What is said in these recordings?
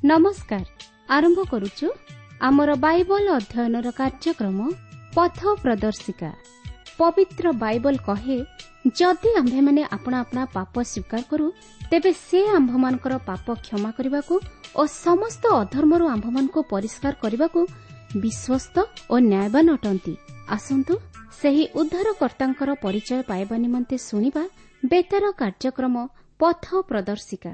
ନମସ୍କାର। ଆରମ୍ଭ କରୁଛୁ ଆମର ବାଇବଲ ଅଧ୍ୟୟନର କାର୍ଯ୍ୟକ୍ରମ ପଥ ପ୍ରଦର୍ଶିକା। ପବିତ୍ର ବାଇବଲ କହେ, ଯଦି ଆମ୍ଭେମାନେ ଆପଣା ଆପଣା ପାପ ସ୍ୱୀକାର କରୁ, ତେବେ ସେ ଆମ୍ଭମାନଙ୍କର ପାପ କ୍ଷମା କରିବାକୁ ଓ ସମସ୍ତ ଅଧର୍ମରୁ ଆମ୍ଭମାନଙ୍କୁ ପରିଷ୍କାର କରିବାକୁ ବିଶ୍ୱସ୍ତ ଓ ନ୍ୟାୟବାନ ଅଟନ୍ତି। ଆସନ୍ତୁ ସେହି ଉଦ୍ଧାରକର୍ତ୍ତାଙ୍କର ପରିଚୟ ପାଇବା ନିମନ୍ତେ ଶୁଣିବା ବେତାର କାର୍ଯ୍ୟକ୍ରମ ପଥ ପ୍ରଦର୍ଶିକା।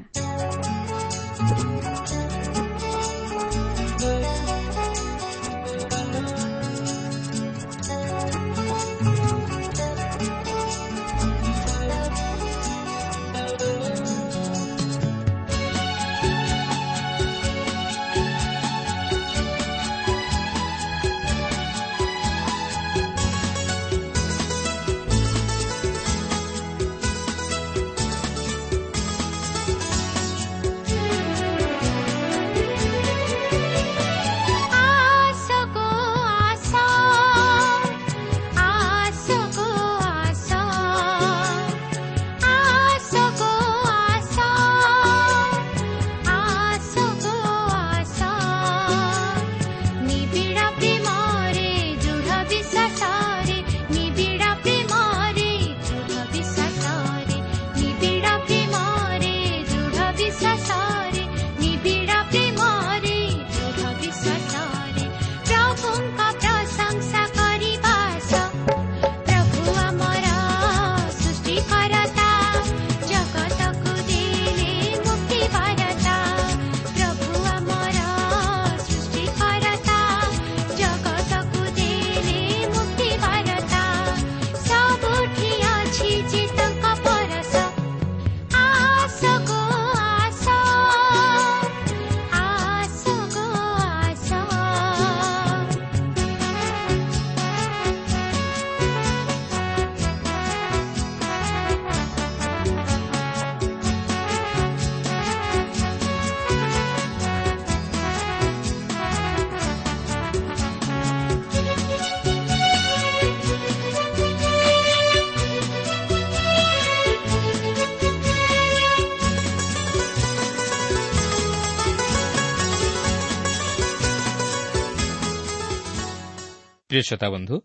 ପ୍ରିୟ ଶ୍ରୋତାବନ୍ଧୁ,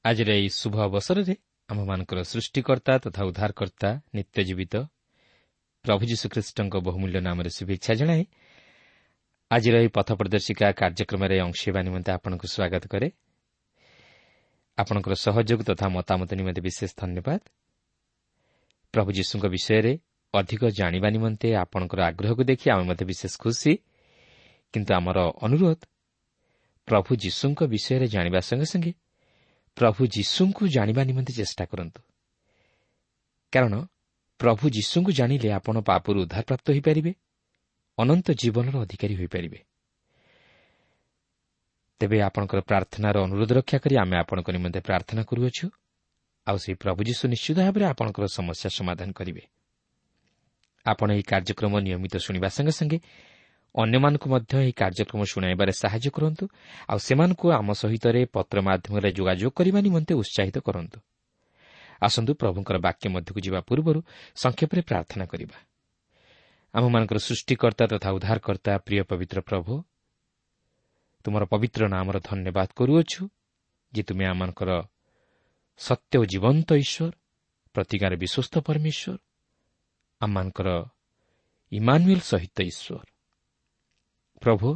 ଆଜିର ଏହି ଶୁଭ ଅବସରରେ ଆମ୍ଭମାନଙ୍କର ସୃଷ୍ଟିକର୍ତ୍ତା ତଥା ଉଦ୍ଧାରକର୍ତ୍ତା ନିତ୍ୟ ଜୀବିତ ପ୍ରଭୁ ଯୀଶୁଖ୍ରୀଷ୍ଟଙ୍କ ବହୁମୂଲ୍ୟ ନାମରେ ଶୁଭେଚ୍ଛା ଜଣାଇ ଆଜିର ଏହି ପଥ ପ୍ରଦର୍ଶିକା କାର୍ଯ୍ୟକ୍ରମରେ ଅଂଶ ହେବା ନିମନ୍ତେ ଆପଣଙ୍କୁ ସ୍ୱାଗତ କରେ। ଆପଣଙ୍କର ସହଯୋଗ ତଥା ମତାମତ ନିମନ୍ତେ ବିଶେଷ ଧନ୍ୟବାଦ। ପ୍ରଭୁ ଯୀଶୁଙ୍କ ବିଷୟରେ ଅଧିକ ଜାଣିବା ନିମନ୍ତେ ଆପଣଙ୍କର ଆଗ୍ରହକୁ ଦେଖି ଆମେ ମଧ୍ୟ ବିଶେଷ ଖୁସି। କିନ୍ତୁ ଆମର ଅନୁରୋଧ, ପ୍ରଭୁ ଯୀଶୁଙ୍କ ବିଷୟରେ ଜାଣିବା ସଙ୍ଗେ ସଙ୍ଗେ ପ୍ରଭୁ ଯୀଶୁଙ୍କୁ ଜାଣିବା ନିମନ୍ତେ ଚେଷ୍ଟା କରନ୍ତୁ। କାରଣ ପ୍ରଭୁ ଯୀଶୁଙ୍କୁ ଜାଣିଲେ ଆପଣ ପାପରୁ ଉଦ୍ଧାରପ୍ରାପ୍ତ ହୋଇପାରିବେ, ଅନନ୍ତ ଜୀବନର ଅଧିକାରୀ ହୋଇପାରିବେ। ତେବେ ଆପଣଙ୍କର ପ୍ରାର୍ଥନାର ଅନୁରୋଧ ରକ୍ଷା କରି ଆମେ ଆପଣଙ୍କ ନିମନ୍ତେ ପ୍ରାର୍ଥନା କରୁଅଛୁ, ଆଉ ସେହି ପ୍ରଭୁ ଯୀଶୁ ନିଶ୍ଚିତ ଭାବରେ ଆପଣଙ୍କର ସମସ୍ୟା ସମାଧାନ କରିବେ। ଆପଣ ଏହି କାର୍ଯ୍ୟକ୍ରମ ନିୟମିତ ଶୁଣିବା ସଙ୍ଗେ ସଙ୍ଗେ ଅନ୍ୟମାନଙ୍କୁ ମଧ୍ୟ ଏହି କାର୍ଯ୍ୟକ୍ରମ ଶୁଣାଇବାରେ ସାହାଯ୍ୟ କରନ୍ତୁ, ଆଉ ସେମାନଙ୍କୁ ଆମ ସହିତରେ ପତ୍ର ମାଧ୍ୟମରେ ଯୋଗାଯୋଗ କରିବା ନିମନ୍ତେ ଉତ୍ସାହିତ କରନ୍ତୁ। ଆସନ୍ତୁ ପ୍ରଭୁଙ୍କର ବାକ୍ୟ ମଧ୍ୟକୁ ଯିବା ପୂର୍ବରୁ ସଂକ୍ଷେପରେ ପ୍ରାର୍ଥନା କରିବା। ଆମମାନଙ୍କର ସୃଷ୍ଟିକର୍ତ୍ତା ତଥା ଉଦ୍ଧାରକର୍ତ୍ତା ପ୍ରିୟ ପବିତ୍ର ପ୍ରଭୁ, ତୁମର ପବିତ୍ର ନାମର ଧନ୍ୟବାଦ କରୁଅଛୁ ଯେ ତୁମେ ଆମମାନଙ୍କର ସତ୍ୟ ଓ ଜୀବନ୍ତ ଈଶ୍ୱର, ପ୍ରତିଜ୍ଞାରେ ବିଶ୍ୱସ୍ତ ପରମେଶ୍ୱର, ଆମମାନଙ୍କର ଇମାନୁଏଲ ସହିତ ଈଶ୍ୱର। ପ୍ରଭୁ,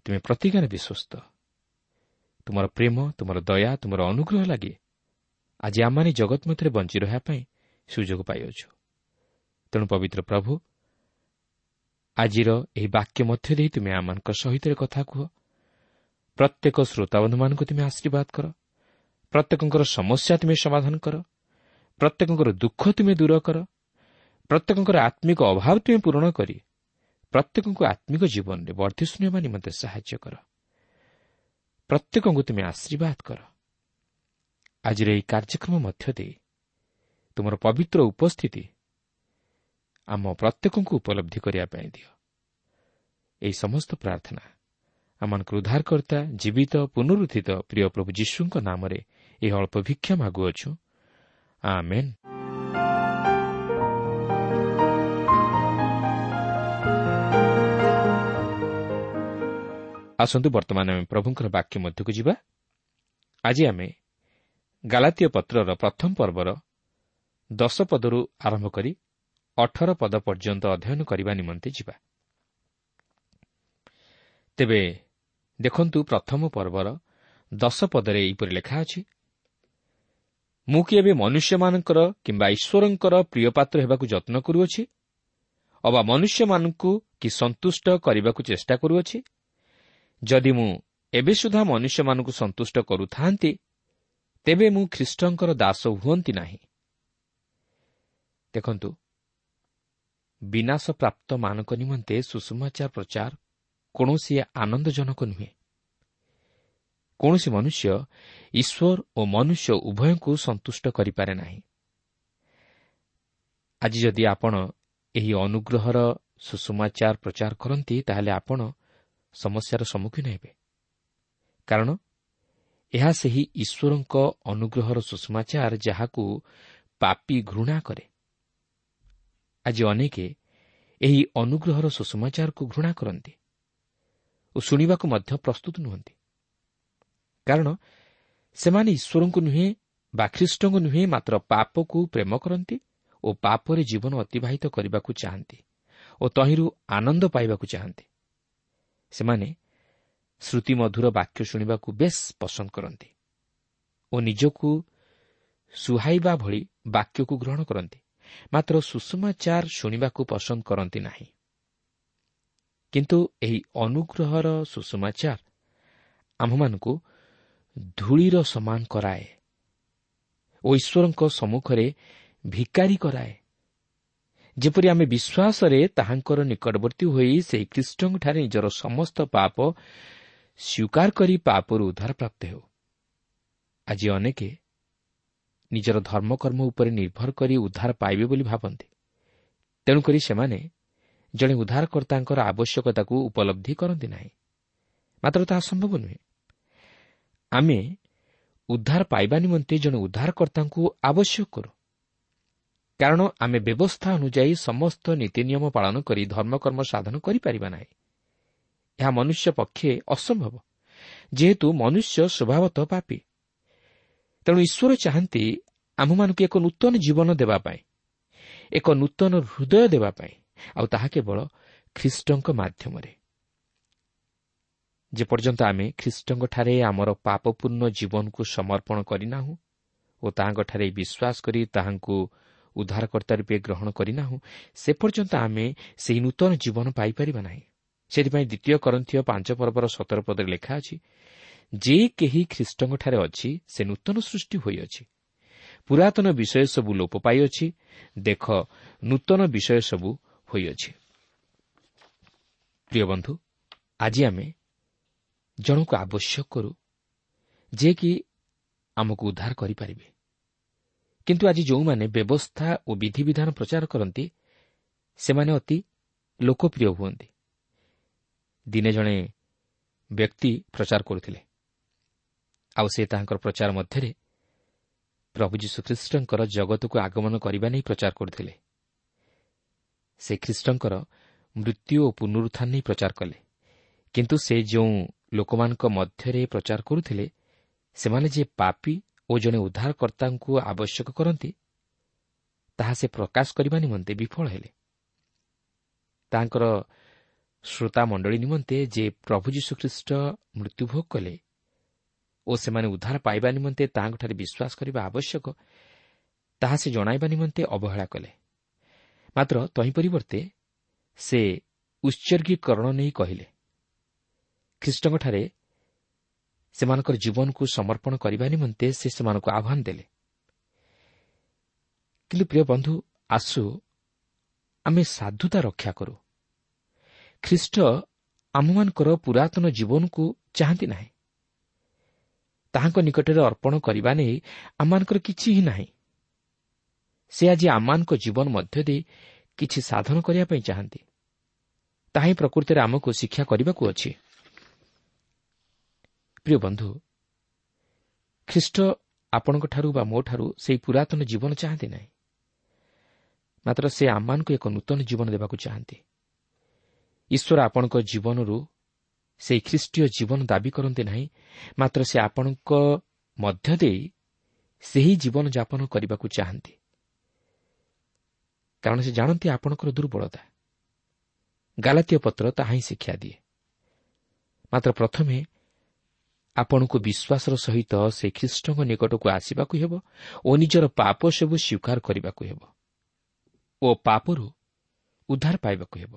ତୁମେ ପ୍ରତିଜ୍ଞାରେ ବିଶ୍ୱସ୍ତ। ତୁମର ପ୍ରେମ, ତୁମର ଦୟା, ତୁମର ଅନୁଗ୍ରହ ଲାଗି ଆଜି ଆମମାନେ ଜଗତ ମଧ୍ୟରେ ବଞ୍ଚି ରହିବା ପାଇଁ ସୁଯୋଗ ପାଇଅଛୁ। ତେଣୁ ପବିତ୍ର ପ୍ରଭୁ, ଆଜିର ଏହି ବାକ୍ୟ ମଧ୍ୟ ଦେଇ ତୁମେ ଆମମାନଙ୍କ ସହିତ କଥା କୁହ। ପ୍ରତ୍ୟେକ ଶ୍ରୋତାବନ୍ଧୁମାନଙ୍କୁ ତୁମେ ଆଶୀର୍ବାଦ କର, ପ୍ରତ୍ୟେକଙ୍କର ସମସ୍ୟା ତୁମେ ସମାଧାନ କର, ପ୍ରତ୍ୟେକଙ୍କର ଦୁଃଖ ତୁମେ ଦୂର କର, ପ୍ରତ୍ୟେକଙ୍କର ଆତ୍ମିକ ଅଭାବ ତୁମେ ପୂରଣ କରି ପ୍ରତ୍ୟେକଙ୍କୁ ଆତ୍ମିକ ଜୀବନରେ ବର୍ଦ୍ଧିଷ୍ଣୁ ହେବା ନିମନ୍ତେ ସାହାଯ୍ୟ କର। ପ୍ରତ୍ୟେକଙ୍କୁ ତୁମେ ଆଶୀର୍ବାଦ କର। ଆଜିର ଏହି କାର୍ଯ୍ୟକ୍ରମ ମଧ୍ୟ ଦେଇ ତୁମର ପବିତ୍ର ଉପସ୍ଥିତି ଆମ ପ୍ରତ୍ୟେକଙ୍କୁ ଉପଲବ୍ଧି କରିବା ପାଇଁ ଦିଅ। ଏହି ସମସ୍ତ ପ୍ରାର୍ଥନା ଆମମାନଙ୍କର ଉଦ୍ଧାରକର୍ତ୍ତା ଜୀବିତ ପୁନରୁତ୍ଥିତ ପ୍ରିୟ ପ୍ରଭୁ ଯୀଶୁଙ୍କ ନାମରେ ଏହି ଅଳ୍ପ ଭିକ୍ଷା ମାଗୁଅଛୁ, ଆମେନ୍। ଆସନ୍ତୁ ବର୍ତ୍ତମାନ ଆମେ ପ୍ରଭୁଙ୍କର ବାକ୍ୟ ମଧ୍ୟକୁ ଯିବା। ଆଜି ଆମେ ଗାଲାତୀୟ ପତ୍ରର ପ୍ରଥମ ପର୍ବର 10 ପଦରୁ ଆରମ୍ଭ କରି 18 ପଦ ପର୍ଯ୍ୟନ୍ତ ଅଧ୍ୟୟନ କରିବା ନିମନ୍ତେ ଯିବା। ତେବେ ଦେଖନ୍ତୁ, ପ୍ରଥମ ପର୍ବର 10 ପଦରେ ଏହିପରି ଲେଖା ଅଛି, ମୁଁ କି ଏବେ ମନୁଷ୍ୟମାନଙ୍କର କିମ୍ବା ଈଶ୍ୱରଙ୍କର ପ୍ରିୟପାତ୍ର ହେବାକୁ ଯତ୍ନ କରୁଅଛି, ଅବା ମନୁଷ୍ୟମାନଙ୍କୁ କି ସନ୍ତୁଷ୍ଟ କରିବାକୁ ଚେଷ୍ଟା କରୁଅଛି? ଯଦି ମୁଁ ଏବେ ସୁଦ୍ଧା ମନୁଷ୍ୟମାନଙ୍କୁ ସନ୍ତୁଷ୍ଟ କରୁଥାନ୍ତି, ତେବେ ମୁଁ ଖ୍ରୀଷ୍ଟଙ୍କର ଦାସ ହୁଅନ୍ତି ନାହିଁ। ଦେଖନ୍ତୁ, ବିନାଶପ୍ରାପ୍ତମାନଙ୍କ ନିମନ୍ତେ ସୁସମାଚାର ପ୍ରଚାର କୌଣସି ଆନନ୍ଦଜନକ ନୁହେଁ। କୌଣସି ମନୁଷ୍ୟ ଈଶ୍ୱର ଓ ମନୁଷ୍ୟ ଉଭୟଙ୍କୁ ସନ୍ତୁଷ୍ଟ କରିପାରେ ନାହିଁ। ଆଜି ଯଦି ଆପଣ ଏହି ଅନୁଗ୍ରହର ସୁସମାଚାର ପ୍ରଚାର କରନ୍ତି, ତାହେଲେ ଆପଣ ସମସ୍ୟାର ସମ୍ମୁଖୀନ ହେବେ, କାରଣ ଏହା ସେହି ଈଶ୍ୱରଙ୍କ ଅନୁଗ୍ରହର ସୁସମାଚାର ଯାହାକୁ ପାପୀ ଘୃଣା କରେ। ଆଜି ଅନେକେ ଏହି ଅନୁଗ୍ରହର ସୁସମାଚାରକୁ ଘୃଣା କରନ୍ତି ଓ ଶୁଣିବାକୁ ମଧ୍ୟ ପ୍ରସ୍ତୁତ ନୁହନ୍ତି, କାରଣ ସେମାନେ ଈଶ୍ୱରଙ୍କୁ ନୁହେଁ ବା ଖ୍ରୀଷ୍ଟଙ୍କୁ ନୁହେଁ, ମାତ୍ର ପାପକୁ ପ୍ରେମ କରନ୍ତି ଓ ପାପରେ ଜୀବନ ଅତିବାହିତ କରିବାକୁ ଚାହାନ୍ତି ଓ ତହିଁରୁ ଆନନ୍ଦ ପାଇବାକୁ ଚାହାନ୍ତି। ସେମାନେ ଶ୍ରୁତିମଧୁର ବାକ୍ୟ ଶୁଣିବାକୁ ବେଶ୍ ପସନ୍ଦ କରନ୍ତି ଓ ନିଜକୁ ସୁହାଇବା ଭଳି ବାକ୍ୟକୁ ଗ୍ରହଣ କରନ୍ତି, ମାତ୍ର ସୁସମାଚାର ଶୁଣିବାକୁ ପସନ୍ଦ କରନ୍ତି ନାହିଁ। କିନ୍ତୁ ଏହି ଅନୁଗ୍ରହର ସୁସମାଚାର ଆମ୍ଭମାନଙ୍କୁ ଧୂଳିର ସମାନ କରାଏ ଓ ଈଶ୍ୱରଙ୍କ ସମ୍ମୁଖରେ ଭିକାରୀ କରାଏ, ଯେପରି ଆମେ ବିଶ୍ୱାସରେ ତାହାଙ୍କର ନିକଟବର୍ତ୍ତୀ ହୋଇ ସେହି ଖ୍ରୀଷ୍ଟଙ୍କଠାରେ ନିଜର ସମସ୍ତ ପାପ ସ୍ୱୀକାର କରି ପାପରୁ ଉଦ୍ଧାର ପ୍ରାପ୍ତ ହେଉ। ଆଜି ଅନେକେ ନିଜର ଧର୍ମକର୍ମ ଉପରେ ନିର୍ଭର କରି ଉଦ୍ଧାର ପାଇବେ ବୋଲି ଭାବନ୍ତି, ତେଣୁକରି ସେମାନେ ଜଣେ ଉଦ୍ଧାରକର୍ତ୍ତାଙ୍କର ଆବଶ୍ୟକତାକୁ ଉପଲବ୍ଧି କରନ୍ତି ନାହିଁ। ମାତ୍ର ତାହା ସମ୍ଭବ ନୁହେଁ। ଆମେ ଉଦ୍ଧାର ପାଇବା ନିମନ୍ତେ ଜଣେ ଉଦ୍ଧାରକର୍ତ୍ତାଙ୍କୁ ଆବଶ୍ୟକ କରୁ, କାରଣ ଆମେ ବ୍ୟବସ୍ଥା ଅନୁଯାୟୀ ସମସ୍ତ ନୀତି ନିୟମ ପାଳନ କରି ଧର୍ମକର୍ମ ସାଧନ କରିପାରିବା ନାହିଁ। ଏହା ମନୁଷ୍ୟ ପକ୍ଷେ ଅସମ୍ଭବ, ଯେହେତୁ ମନୁଷ୍ୟ ସ୍ୱଭାବତଃ ପାପୀ। ତେଣୁ ଈଶ୍ୱର ଚାହାନ୍ତି ଆମ୍ଭମାନଙ୍କୁ ଏକ ନୂତନ ଜୀବନ ଦେବା ପାଇଁ, ଏକ ନୂତନ ହୃଦୟ ଦେବା ପାଇଁ, ଆଉ ତାହା କେବଳ ଖ୍ରୀଷ୍ଟଙ୍କ ମାଧ୍ୟମରେ। ଯେପର୍ଯ୍ୟନ୍ତ ଆମେ ଖ୍ରୀଷ୍ଟଙ୍କଠାରେ ଆମର ପାପପୂର୍ଣ୍ଣ ଜୀବନକୁ ସମର୍ପଣ କରିନାହୁଁ ଓ ତାହାଙ୍କଠାରେ ବିଶ୍ୱାସ କରି ତାହାଙ୍କୁ ଉଦ୍ଧାରକର୍ତ୍ତା ରୂପେ ଗ୍ରହଣ କରିନାହୁଁ, ସେ ପର୍ଯ୍ୟନ୍ତ ଆମେ ସେହି ନୂତନ ଜୀବନ ପାଇପାରିବା ନାହିଁ। ସେଥିପାଇଁ ଦ୍ୱିତୀୟ କରନ୍ଥୀୟ 5 ପର୍ବର 17 ପଦରେ ଲେଖା ଅଛି, ଯେ କେହି ଖ୍ରୀଷ୍ଟଙ୍କଠାରେ ଅଛି ସେ ନୂତନ ସୃଷ୍ଟି ହୋଇଅଛି, ପୁରାତନ ବିଷୟ ସବୁ ଲୋପ ପାଇଅଛି, ଦେଖ ନୂତନ ବିଷୟ ସବୁ ହୋଇଅଛି। ପ୍ରିୟ ବନ୍ଧୁ, ଆଜି ଆମେ ଜଣକୁ ଆବଶ୍ୟକ କରୁ ଯିଏକି ଆମକୁ ଉଦ୍ଧାର କରିପାରିବେ। କିନ୍ତୁ ଆଜି ଯେଉଁମାନେ ବ୍ୟବସ୍ଥା ଓ ବିଧିବିଧାନ ପ୍ରଚାର କରନ୍ତି, ସେମାନେ ଅତି ଲୋକପ୍ରିୟ ହୁଅନ୍ତି। ଦିନେ ଜଣେ ବ୍ୟକ୍ତି ପ୍ରଚାର କରୁଥିଲେ, ଆଉ ସେ ତାହାଙ୍କର ପ୍ରଚାର ମଧ୍ୟରେ ପ୍ରଭୁ ଯୀଶୁଖ୍ରୀଷ୍ଟଙ୍କର ଜଗତକୁ ଆଗମନ କରିବା ନେଇ ପ୍ରଚାର କରୁଥିଲେ। ସେ ଖ୍ରୀଷ୍ଟଙ୍କର ମୃତ୍ୟୁ ଓ ପୁନରୁତ୍ଥାନ ନେଇ ପ୍ରଚାର କଲେ, କିନ୍ତୁ ସେ ଯେଉଁ ଲୋକମାନଙ୍କ ମଧ୍ୟରେ ପ୍ରଚାର କରୁଥିଲେ, ସେମାନେ ଯେ ପାପୀ ଓ ଜଣେ ଉଦ୍ଧାରକର୍ତ୍ତାଙ୍କୁ ଆବଶ୍ୟକ କରନ୍ତି, ତାହା ସେ ପ୍ରକାଶ କରିବା ନିମନ୍ତେ ବିଫଳ ହେଲେ। ତାଙ୍କର ଶ୍ରୋତାମଣ୍ଡଳୀ ନିମନ୍ତେ ଯେ ପ୍ରଭୁ ଯୀଶୁଖ୍ରୀଷ୍ଟ ମୃତ୍ୟୁଭୋଗ କଲେ ଓ ସେମାନେ ଉଦ୍ଧାର ପାଇବା ନିମନ୍ତେ ତାହାଙ୍କଠାରେ ବିଶ୍ୱାସ କରିବା ଆବଶ୍ୟକ, ତାହା ସେ ଜଣାଇବା ନିମନ୍ତେ ଅବହେଳା କଲେ। ମାତ୍ର ତହିଁ ପରିବର୍ତ୍ତେ ସେ ଉତ୍ସର୍ଗୀକରଣ ନେଇ କହିଲେ, ଖ୍ରୀଷ୍ଟଙ୍କଠାରେ ସେମାନଙ୍କର ଜୀବନକୁ ସମର୍ପଣ କରିବା ନିମନ୍ତେ ସେ ସେମାନଙ୍କୁ ଆହ୍ୱାନ ଦେଲେ। କିନ୍ତୁ ପ୍ରିୟ ବନ୍ଧୁ, ଆସୁ ଆମେ ସାଧୁତା ରକ୍ଷା କରୁ। ଖ୍ରୀଷ୍ଟ ଆମମାନଙ୍କର ପୁରାତନ ଜୀବନକୁ ଚାହାନ୍ତି ନାହିଁ। ତାହାଙ୍କ ନିକଟରେ ଅର୍ପଣ କରିବା ନେଇ ଆମମାନଙ୍କର କିଛି ହିଁ ନାହିଁ। ସେ ଆଜି ଆମମାନଙ୍କ ଜୀବନ ମଧ୍ୟ ଦେଇ କିଛି ସାଧନ କରିବା ପାଇଁ ଚାହାନ୍ତି। ତାହା ହିଁ ପ୍ରକୃତିରେ ଆମକୁ ଶିକ୍ଷା କରିବାକୁ ଅଛି। ପ୍ରିୟ ବନ୍ଧୁ, ଖ୍ରୀଷ୍ଟ ଆପଣଙ୍କଠାରୁ ବା ମୋଠାରୁ ସେହି ପୁରାତନ ଜୀବନ ଚାହାନ୍ତି ନାହିଁ, ମାତ୍ର ସେ ଆମମାନଙ୍କୁ ଏକ ନୂତନ ଜୀବନ ଦେବାକୁ ଚାହାନ୍ତି। ଈଶ୍ୱର ଆପଣଙ୍କ ଜୀବନରୁ ସେହି ଖ୍ରୀଷ୍ଟୀୟ ଜୀବନ ଦାବି କରନ୍ତି ନାହିଁ, ମାତ୍ର ସେ ଆପଣଙ୍କ ମଧ୍ୟ ଦେଇ ସେହି ଜୀବନଯାପନ କରିବାକୁ ଚାହାନ୍ତି, କାରଣ ସେ ଜାଣନ୍ତି ଆପଣଙ୍କର ଦୁର୍ବଳତା। ଗାଲାତୀୟ ପତ୍ର ତାହା ହିଁ ଶିକ୍ଷା ଦିଏ। ମାତ୍ର ପ୍ରଥମେ ଆପଣଙ୍କୁ ବିଶ୍ୱାସର ସହିତ ସେ ଖ୍ରୀଷ୍ଟଙ୍କ ନିକଟକୁ ଆସିବାକୁ ହେବ ଓ ନିଜର ପାପ ସବୁ ସ୍ୱୀକାର କରିବାକୁ ହେବ ଓ ପାପରୁ ଉଦ୍ଧାର ପାଇବାକୁ ହେବ।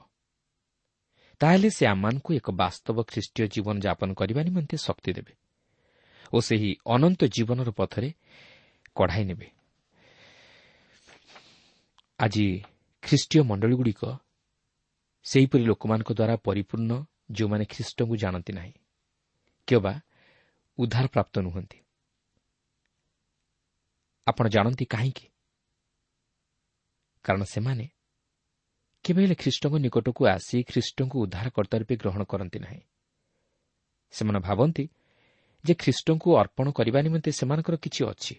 ତାହେଲେ ସେ ଆମମାନଙ୍କୁ ଏକ ବାସ୍ତବ ଖ୍ରୀଷ୍ଟୀୟ ଜୀବନଯାପନ କରିବା ନିମନ୍ତେ ଶକ୍ତି ଦେବେ ଓ ସେହି ଅନନ୍ତ ଜୀବନର ପଥରେ କଢ଼ାଇ ନେବେ। ଆଜି ଖ୍ରୀଷ୍ଟୀୟ ମଣ୍ଡଳୀଗୁଡ଼ିକ ସେହିପରି ଲୋକମାନଙ୍କ ଦ୍ୱାରା ପରିପୂର୍ଣ୍ଣ, ଯେଉଁମାନେ ଖ୍ରୀଷ୍ଟଙ୍କୁ ଜାଣନ୍ତି ନାହିଁ କିମ୍ବା ଉଦ୍ଧାରପ୍ରାପ୍ତ ନୁହନ୍ତି। ଆପଣ ଜାଣନ୍ତି କାହିଁକି? କାରଣ ସେମାନେ କେବେ ହେଲେ ଖ୍ରୀଷ୍ଟଙ୍କ ନିକଟକୁ ଆସି ଖ୍ରୀଷ୍ଟଙ୍କୁ ଉଦ୍ଧାରକର୍ତ୍ତା ରୂପେ ଗ୍ରହଣ କରନ୍ତି ନାହିଁ। ସେମାନେ ଭାବନ୍ତି ଯେ ଖ୍ରୀଷ୍ଟଙ୍କୁ ଅର୍ପଣ କରିବା ନିମନ୍ତେ ସେମାନଙ୍କର କିଛି ଅଛି,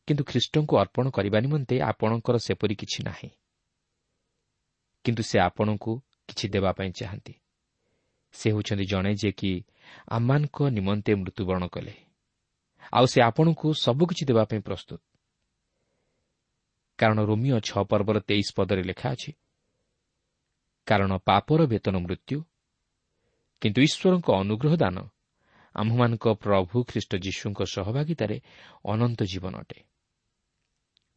କିନ୍ତୁ ଖ୍ରୀଷ୍ଟଙ୍କୁ ଅର୍ପଣ କରିବା ନିମନ୍ତେ ଆପଣଙ୍କର ସେପରି କିଛି ନାହିଁ। କିନ୍ତୁ ସେ ଆପଣଙ୍କୁ କିଛି ଦେବା ପାଇଁ ଚାହାନ୍ତି। ସେ ହେଉଛନ୍ତି ଜଣେ ଯିଏକି ଆମମାନଙ୍କ ନିମନ୍ତେ ମୃତ୍ୟୁବରଣ କଲେ, ଆଉ ସେ ଆପଣଙ୍କୁ ସବୁକିଛି ଦେବା ପାଇଁ ପ୍ରସ୍ତୁତ। କାରଣ ରୋମିଓ 6 ପର୍ବର 23 ପଦରେ ଲେଖା ଅଛି, କାରଣ ପାପର ବେତନ ମୃତ୍ୟୁ, କିନ୍ତୁ ଈଶ୍ୱରଙ୍କ ଅନୁଗ୍ରହ ଦାନ ଆମ୍ଭମାନଙ୍କ ପ୍ରଭୁ ଖ୍ରୀଷ୍ଟ ଯୀଶୁଙ୍କ ସହଭାଗିତାରେ ଅନନ୍ତ ଜୀବନ ଅଟେ।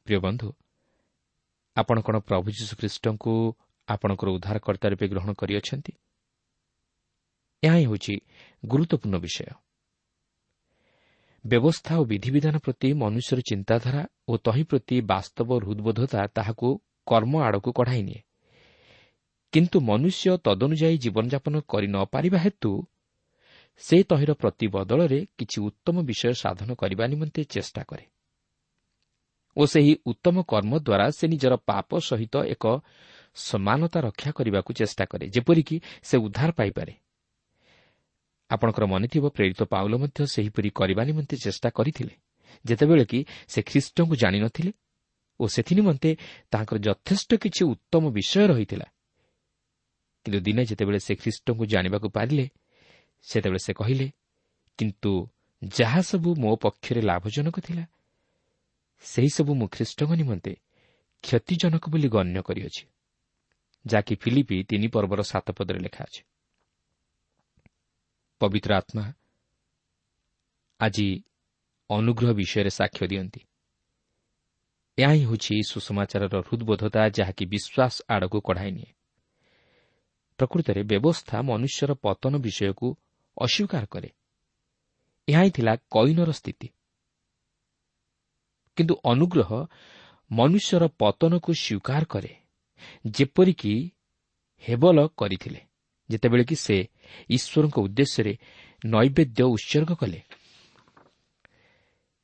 ପ୍ରିୟ ବନ୍ଧୁ, ଆପଣ କ'ଣ ପ୍ରଭୁ ଯୀଶୁଖ୍ରୀଷ୍ଟଙ୍କୁ ଆପଣଙ୍କର ଉଦ୍ଧାରକର୍ତ୍ତା ରୂପେ ଗ୍ରହଣ କରିଅଛନ୍ତି? ଏହା ହିଁ ହେଉଛି ଗୁରୁତ୍ୱପୂର୍ଣ୍ଣ ବିଷୟ। ବ୍ୟବସ୍ଥା ଓ ବିଧିବିଧାନ ପ୍ରତି ମନୁଷ୍ୟର ଚିନ୍ତାଧାରା ଓ ତହିଁ ପ୍ରତି ବାସ୍ତବ ହୃଦବୋଧତା ତାହାକୁ କର୍ମ ଆଡ଼କୁ କଢ଼ାଇ ନିଏ, କିନ୍ତୁ ମନୁଷ୍ୟ ତଦନୁଯାୟୀ ଜୀବନଯାପନ କରି ନ ପାରିବା ହେତୁ ସେ ତହିଁର ପ୍ରତିବଦଳରେ କିଛି ଉତ୍ତମ ବିଷୟ ସାଧନ କରିବା ନିମନ୍ତେ ଚେଷ୍ଟା କରେ ଓ ସେହି ଉତ୍ତମ କର୍ମ ଦ୍ୱାରା ସେ ନିଜର ପାପ ସହିତ ଏକ ସମାନତା ରକ୍ଷା କରିବାକୁ ଚେଷ୍ଟା କରେ, ଯେପରିକି ସେ ଉଦ୍ଧାର ପାଇପାରେ। ଆପଣଙ୍କର ମନେଥିବ, ପ୍ରେରିତ ପାଉଲ ମଧ୍ୟ ସେହିପରି କରିବା ନିମନ୍ତେ ଚେଷ୍ଟା କରିଥିଲେ, ଯେତେବେଳେ କି ସେ ଖ୍ରୀଷ୍ଟଙ୍କୁ ଜାଣିନଥିଲେ ଓ ସେଥିନିମନ୍ତେ ତାଙ୍କର ଯଥେଷ୍ଟ କିଛି ଉତ୍ତମ ବିଷୟ ରହିଥିଲା। କିନ୍ତୁ ଦିନେ ଯେତେବେଳେ ସେ ଖ୍ରୀଷ୍ଟଙ୍କୁ ଜାଣିବାକୁ ପାରିଲେ, ସେତେବେଳେ ସେ କହିଲେ, କିନ୍ତୁ ଯାହା ସବୁ ମୋ ପକ୍ଷରେ ଲାଭଜନକ ଥିଲା, ସେହିସବୁ ମୁଁ ଖ୍ରୀଷ୍ଟଙ୍କ ନିମନ୍ତେ କ୍ଷତିଜନକ ବୋଲି ଗଣ୍ୟ କରିଅଛି, ଯାହାକି ଫିଲିପି 3 ପର୍ବର 7 ପଦରେ ଲେଖା ଅଛି। ପବିତ୍ର ଆତ୍ମା ଆଜି ଅନୁଗ୍ରହ ବିଷୟରେ ସାକ୍ଷ୍ୟ ଦିଅନ୍ତି। ଏହା ହିଁ ହେଉଛି ସୁସମାଚାରର ହୃଦବୋଧତା, ଯାହାକି ବିଶ୍ୱାସ ଆଡ଼କୁ କଢ଼ାଇ ନିଏ। ପ୍ରକୃତରେ ବ୍ୟବସ୍ଥା ମନୁଷ୍ୟର ପତନ ବିଷୟକୁ ଅସ୍ୱୀକାର କରେ। ଏହା ହିଁ ଥିଲା କଇନର ସ୍ଥିତି। କିନ୍ତୁ ଅନୁଗ୍ରହ ମନୁଷ୍ୟର ପତନକୁ ସ୍ୱୀକାର କରେ, ଯେପରିକି ହେବଲ କରିଥିଲେ, ଯେତେବେଳେ କି ସେ ଈଶ୍ୱରଙ୍କ ଉଦ୍ଦେଶ୍ୟରେ ନୈବେଦ୍ୟ ଉତ୍ସର୍ଗ କଲେ।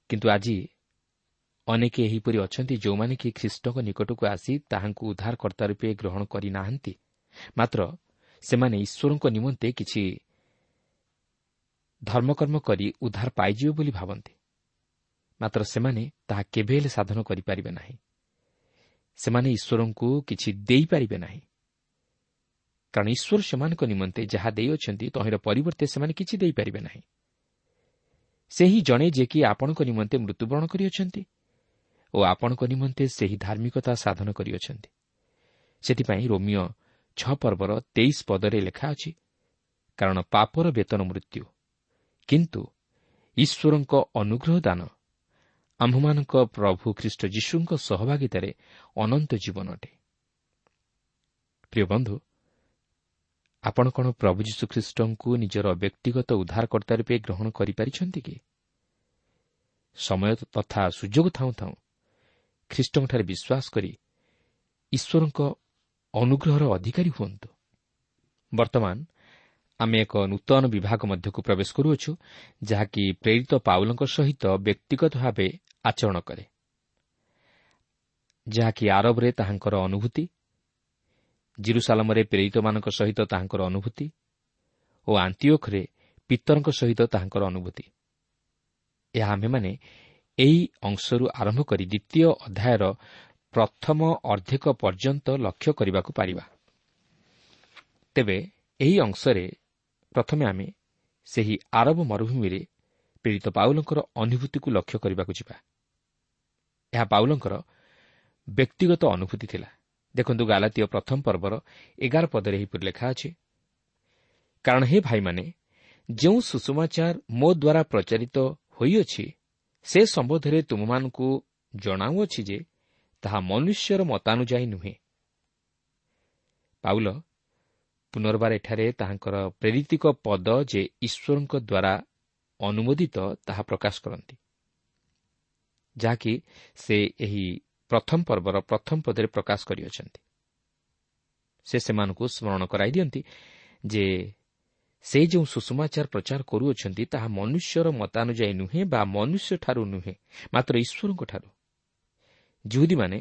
କିନ୍ତୁ ଆଜି ଅନେକ ଏହିପରି ଅଛନ୍ତି, ଯେଉଁମାନେ କି ଖ୍ରୀଷ୍ଟଙ୍କ ନିକଟକୁ ଆସି ତାହାଙ୍କୁ ଉଦ୍ଧାରକର୍ତ୍ତା ରୂପେ ଗ୍ରହଣ କରିନାହାନ୍ତି, ମାତ୍ର ସେମାନେ ଈଶ୍ୱରଙ୍କ ନିମନ୍ତେ କିଛି ଧର୍ମକର୍ମ କରି ଉଦ୍ଧାର ପାଇଯିବେ ବୋଲି ଭାବନ୍ତି। ମାତ୍ର ସେମାନେ ତାହା କେବେ ହେଲେ ସାଧନ କରିପାରିବେ ନାହିଁ। ସେମାନେ ଈଶ୍ୱରଙ୍କୁ କିଛି ଦେଇପାରିବେ ନାହିଁ, କାରଣ ଈଶ୍ୱର ସେମାନଙ୍କ ନିମନ୍ତେ ଯାହା ଦେଇଅଛନ୍ତି ତହିଁର ପରିବର୍ତ୍ତେ ସେମାନେ କିଛି ଦେଇପାରିବେ ନାହିଁ। ସେହି ଜଣେ ଯିଏକି ଆପଣଙ୍କ ନିମନ୍ତେ ମୃତ୍ୟୁବରଣ କରିଅଛନ୍ତି ଓ ଆପଣଙ୍କ ନିମନ୍ତେ ସେହି ଧାର୍ମିକତା ସାଧନ କରିଅଛନ୍ତି। ସେଥିପାଇଁ ରୋମିଓ 6 ପର୍ବର 23 ପଦରେ ଲେଖା ଅଛି, କାରଣ ପାପର ବେତନ ମୃତ୍ୟୁ, କିନ୍ତୁ ଈଶ୍ୱରଙ୍କ ଅନୁଗ୍ରହ ଦାନ ଆମ୍ଭମାନଙ୍କ ପ୍ରଭୁ ଖ୍ରୀଷ୍ଟ ଯୀଶୁଙ୍କ ସହଭାଗିତାରେ ଅନନ୍ତ ଜୀବନ ଅଟେ। ପ୍ରିୟ ବନ୍ଧୁ, ଆପଣ କ'ଣ ପ୍ରଭୁ ଯୀଶୁଖ୍ରୀଷ୍ଟଙ୍କୁ ନିଜର ବ୍ୟକ୍ତିଗତ ଉଦ୍ଧାରକର୍ତ୍ତା ରୂପେ ଗ୍ରହଣ କରିପାରିଛନ୍ତି କି? ସମୟ ତଥା ସୁଯୋଗ ଥାଉଁ ଥାଉଁ ଖ୍ରୀଷ୍ଟଙ୍କଠାରେ ବିଶ୍ୱାସ କରି ଈଶ୍ୱରଙ୍କ ଅନୁଗ୍ରହର ଅଧିକାରୀ ହୁଅନ୍ତୁ। ବର୍ତ୍ତମାନ ଆମେ ଏକ ନୂତନ ବିଭାଗ ମଧ୍ୟକୁ ପ୍ରବେଶ କରୁଅଛୁ, ଯାହାକି ପ୍ରେରିତ ପାଉଲଙ୍କ ସହିତ ବ୍ୟକ୍ତିଗତ ଭାବେ ଆଚରଣ କରେ, ଯାହାକି ଆରବରେ ତାହାଙ୍କର ଅନୁଭୂତି, ଜିରୁସାଲମରେ ପ୍ରେରିତମାନଙ୍କ ସହିତ ତାହାଙ୍କର ଅନୁଭୂତି ଓ ଆଣ୍ଟିଓଖରେ ପିତରଙ୍କ ସହିତ ତାହାଙ୍କର ଅନୁଭୂତି। ଏହା ଆମ୍ଭେମାନେ ଏହି ଅଂଶରୁ ଆରମ୍ଭ କରି ଦ୍ୱିତୀୟ ଅଧ୍ୟାୟର ପ୍ରଥମ ଅର୍ଦ୍ଧେକ ପର୍ଯ୍ୟନ୍ତ ଲକ୍ଷ୍ୟ କରିବାକୁ ପାରିବା। ତେବେ ଏହି ଅଂଶରେ ପ୍ରଥମେ ଆମେ ସେହି ଆରବ ମରୁଭୂମିରେ ପ୍ରେରିତ ପାଉଲଙ୍କର ଅନୁଭୂତିକୁ ଲକ୍ଷ୍ୟ କରିବାକୁ ଯିବା। ଏହା ପାଉଲଙ୍କର ବ୍ୟକ୍ତିଗତ ଅନୁଭୂତି ଥିଲା। ଦେଖନ୍ତୁ, ଗାଲାତୀୟ ପ୍ରଥମ ପର୍ବର 11 ପଦରେ ଏହିପରି ଲେଖା ଅଛି, କାରଣ ହେ ଭାଇମାନେ, ଯେଉଁ ସୁଷମାଚାର ମୋ ଦ୍ୱାରା ପ୍ରଚାରିତ ହୋଇଅଛି ସେ ସମ୍ବନ୍ଧରେ ତୁମମାନଙ୍କୁ ଜଣାଉଅଛି ଯେ ତାହା ମନୁଷ୍ୟର ମତାନୁଯାୟୀ ନୁହେଁ। ପାଉଲ ପୁନର୍ବାର ଏଠାରେ ତାହାଙ୍କର ପ୍ରେରିତିକ ପଦ ଯେ ଈଶ୍ୱରଙ୍କ ଦ୍ୱାରା ଅନୁମୋଦିତ ତାହା ପ୍ରକାଶ କରନ୍ତି, ଯାହାକି ସେ ଏହି ପ୍ରଥମ ପର୍ବର ପ୍ରଥମ ପଦରେ ପ୍ରକାଶ କରିଅଛନ୍ତି। ସେ ସେମାନଙ୍କୁ ସ୍ମରଣ କରାଇ ଦିଅନ୍ତି ଯେ ସେ ଯେଉଁ ସୁଷମାଚାର ପ୍ରଚାର କରୁଅଛନ୍ତି ତାହା ମନୁଷ୍ୟର ମତାନୁଯାୟୀ ନୁହେଁ ବା ମନୁଷ୍ୟଠାରୁ ନୁହେଁ, ମାତ୍ର ଈଶ୍ୱରଙ୍କଠାରୁ। ଯିହୁଦୀମାନେ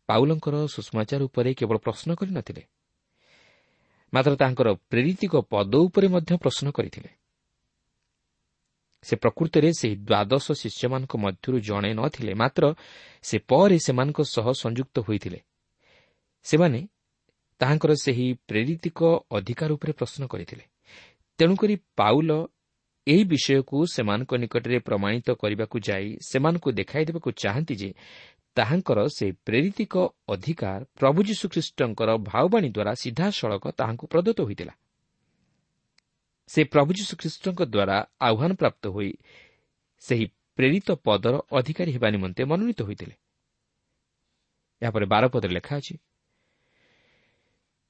ପାଉଲଙ୍କର ସୁଷମାଚାର ଉପରେ କେବଳ ପ୍ରଶ୍ନ କରିନଥିଲେ, ମାତ୍ର ତାଙ୍କର ପ୍ରେରିତିକ ପଦ ଉପରେ ମଧ୍ୟ ପ୍ରଶ୍ନ କରିଥିଲେ। ସେ ପ୍ରକୃତରେ ସେହି ଦ୍ୱାଦଶ ଶିଷ୍ୟମାନଙ୍କ ମଧ୍ୟରୁ ଜଣେ ନଥିଲେ, ମାତ୍ର ସେ ପରେ ସେମାନଙ୍କ ସହ ସଂଯୁକ୍ତ ହୋଇଥିଲେ। ସେମାନେ ତାହାଙ୍କର ସେହି ପ୍ରେରିତିକ ଅଧିକାର ଉପରେ ପ୍ରଶ୍ନ କରିଥିଲେ। ତେଣୁକରି ପାଉଲ ଏହି ବିଷୟକୁ ସେମାନଙ୍କ ନିକଟରେ ପ୍ରମାଣିତ କରିବାକୁ ଯାଇ ସେମାନଙ୍କୁ ଦେଖାଇ ଦେବାକୁ ଚାହାନ୍ତି ଯେ ତାହାଙ୍କର ସେହି ପ୍ରେରିତିକ ଅଧିକାର ପ୍ରଭୁ ଯୀଶୁଖ୍ରୀଷ୍ଟଙ୍କର ଭାବବାଣୀ ଦ୍ୱାରା ସିଧାସଳଖ ତାହାଙ୍କୁ ପ୍ରଦତ୍ତ ହୋଇଥିଲା। ସେ ପ୍ରଭୁ ଯୀଶୁଖ୍ରୀଷ୍ଟଙ୍କ ଦ୍ୱାରା ଆହ୍ୱାନପ୍ରାପ୍ତ ହୋଇ ସେହି ପ୍ରେରିତ ପଦର ଅଧିକାରୀ ହେବା ନିମନ୍ତେ ମନୋନୀତ ହୋଇଥିଲେ। ଏହାପରେ 12 ପଦରେ ଲେଖା ଅଛି,